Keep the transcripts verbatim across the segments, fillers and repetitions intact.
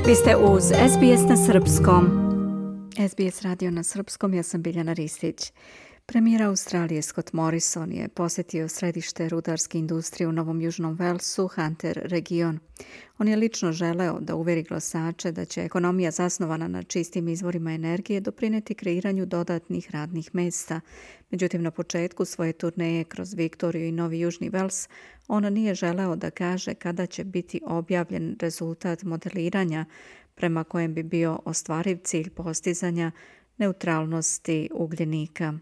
Vi ste uz S B S na srpskom. S B S radio na srpskom, ja sam Biljana Ristić. Premijer Australije Scott Morrison je posjetio središte rudarske industrije u Novom Južnom Walesu, Hunter region. On je lično želeo da uveri glasače da će ekonomija zasnovana na čistim izvorima energije doprineti kreiranju dodatnih radnih mjesta. Međutim, na početku svoje turneje kroz Viktoriju i Novi Južni Wales, on nije želeo da kaže kada će biti objavljen rezultat modeliranja prema kojem bi bio ostvariv cilj postizanja neutralnosti ugljenika.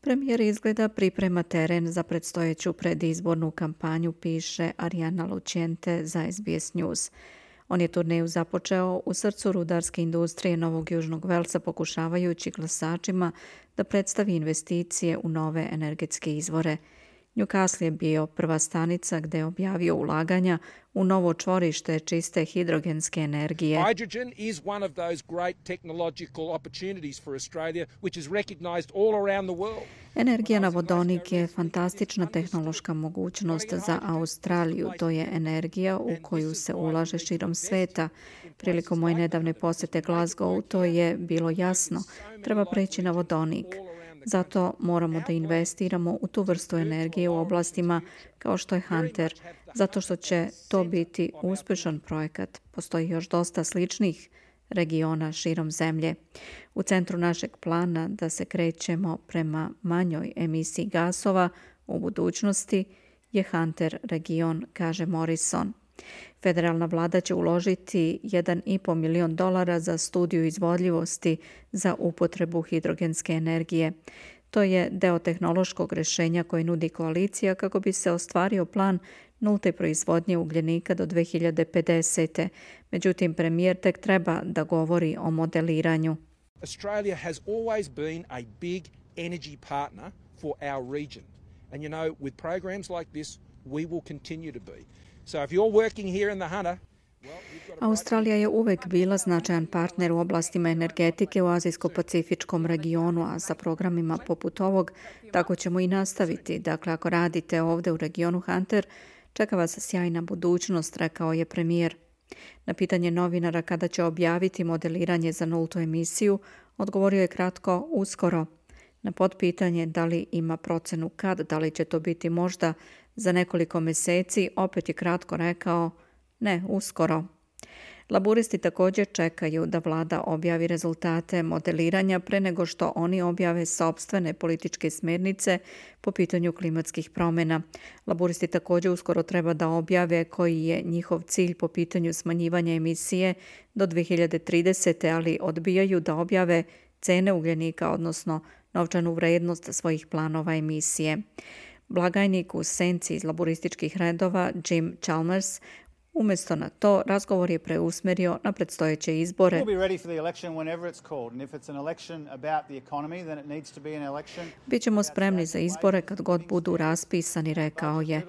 Premijer izgleda priprema teren za predstojeću predizbornu kampanju, piše Ariana Luciente za S B S News. On je turneju započeo u srcu rudarske industrije Novog Južnog Velsa, pokušavajući glasačima da predstavi investicije u nove energetske izvore. Newcastle je bio prva stanica gdje je objavio ulaganja u novo čvorište čiste hidrogenske energije. Hydrogen is one of those great technological opportunities for Australia, which is recognized all around the world. Energija na vodonik je fantastična tehnološka mogućnost za Australiju. To je energija u koju se ulaže širom sveta. Prilikom moje nedavne posjete Glasgowu to je bilo jasno. Treba preći na vodonik. Zato moramo da investiramo u tu vrstu energije u oblastima kao što je Hunter, zato što će to biti uspješan projekat. Postoji još dosta sličnih regiona širom zemlje. U centru našeg plana da se krećemo prema manjoj emisiji gasova u budućnosti je Hunter region, kaže Morrison. Federalna vlada će uložiti jedan i po milion dolara za studiju izvodljivosti za upotrebu hidrogenske energije. To je deo tehnološkog rješenja koji nudi koalicija kako bi se ostvario plan nulte proizvodnje ugljenika do dve hiljade pedesete. Međutim, premijer tek treba da govori o modeliranju. Australia has always been a big energy partner for our region. And you know, with programs like this, we will continue to be. So if you're working here in the Hunter, Australija je uvek bila značajan partner u oblastima energetike u Azijsko-Pacifičkom regionu, a sa programima poput ovog tako ćemo i nastaviti. Dakle, ako radite ovdje u regionu Hunter, čeka vas sjajna budućnost, rekao je premijer. Na pitanje novinara kada će objaviti modeliranje za nultu emisiju, odgovorio je kratko uskoro. Na potpitanje da li ima procenu kad, da li će to biti možda za nekoliko mjeseci, opet je kratko rekao ne, uskoro. Laburisti također čekaju da vlada objavi rezultate modeliranja pre nego što oni objave sopstvene političke smjernice po pitanju klimatskih promjena. Laburisti također uskoro treba da objave koji je njihov cilj po pitanju smanjivanja emisije do dve hiljade tridesete. ali odbijaju da objave cene ugljenika, odnosno novčanu vrednost svojih planova emisije. Blagajnik u senci iz laburističkih redova Jim Chalmers umjesto na to, razgovor je preusmjerio na predstojeće izbore. Bićemo spremni za izbore kad god budu raspisani, rekao je.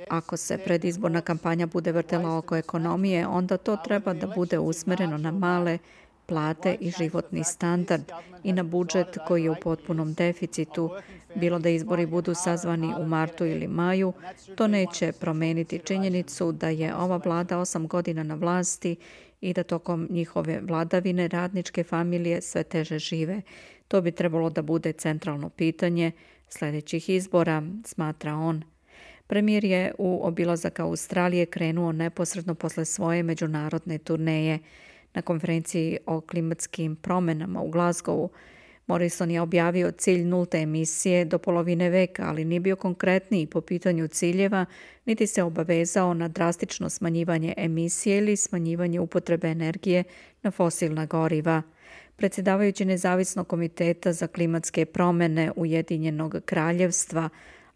Ako se predizborna kampanja bude vrtela oko ekonomije, onda to treba da bude usmjereno na male plate i životni standard i na budžet koji je u potpunom deficitu. Bilo da izbori budu sazvani u martu ili maju, to neće promeniti činjenicu da je ova vlada osam godina na vlasti i da tokom njihove vladavine radničke familije sve teže žive. To bi trebalo da bude centralno pitanje sljedećih izbora, smatra on. Premijer je u obilazak Australije krenuo neposredno posle svoje međunarodne turneje. Na konferenciji o klimatskim promjenama u Glasgowu Morrison je objavio cilj nulte emisije do polovine veka, ali nije bio konkretniji po pitanju ciljeva, niti se obavezao na drastično smanjivanje emisije ili smanjivanje upotrebe energije na fosilna goriva. Predsjedavajući Nezavisnog komiteta za klimatske promjene Ujedinjenog kraljevstva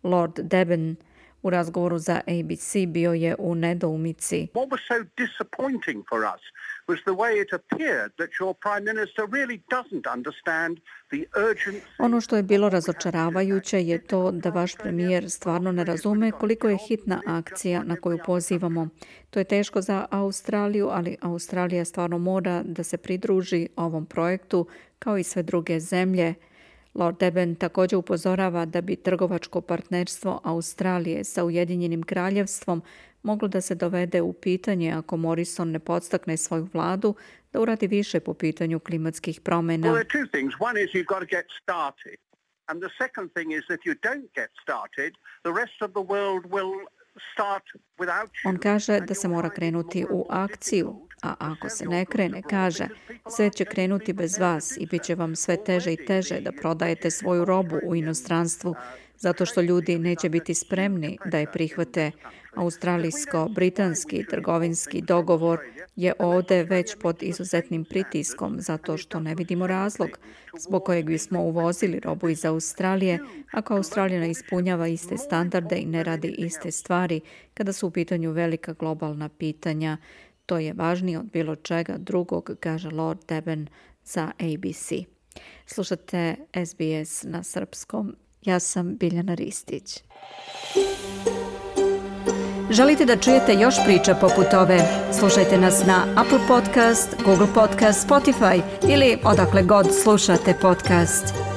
Lord Deben u razgovoru za A B C bio je u nedoumici. What was so disappointing for us was the way it appeared that your prime minister really doesn't understand the urgency. Ono što je bilo razočaravajuće je to da vaš premijer stvarno ne razume koliko je hitna akcija na koju pozivamo. To je teško za Australiju, ali Australija stvarno mora da se pridruži ovom projektu kao i sve druge zemlje. Lord Deben također upozorava da bi trgovačko partnerstvo Australije sa Ujedinjenim kraljevstvom moglo da se dovede u pitanje ako Morrison ne podstakne svoju vladu da uradi više po pitanju klimatskih promjena. Well, there are two things. One is you've got to get started. And the second thing is that you don't get started, the rest of the world will start without you. On kaže da se mora krenuti u akciju, a ako se ne krene, kaže, sve će krenuti bez vas i bit će vam sve teže i teže da prodajete svoju robu u inostranstvu, zato što ljudi neće biti spremni da je prihvate. Australijsko-britanski trgovinski dogovor je ovdje već pod izuzetnim pritiskom zato što ne vidimo razlog zbog kojeg bismo uvozili robu iz Australije ako Australija ne ispunjava iste standarde i ne radi iste stvari kada su u pitanju velika globalna pitanja. To je važnije od bilo čega drugog, kaže Lord Deben za A B C. Slušate S B S na srpskom. Ja sam Biljana Ristić. Želite da čujete još priča poput ove? Slušajte nas na Apple Podcast, Google Podcast, Spotify ili odakle god slušate podcast.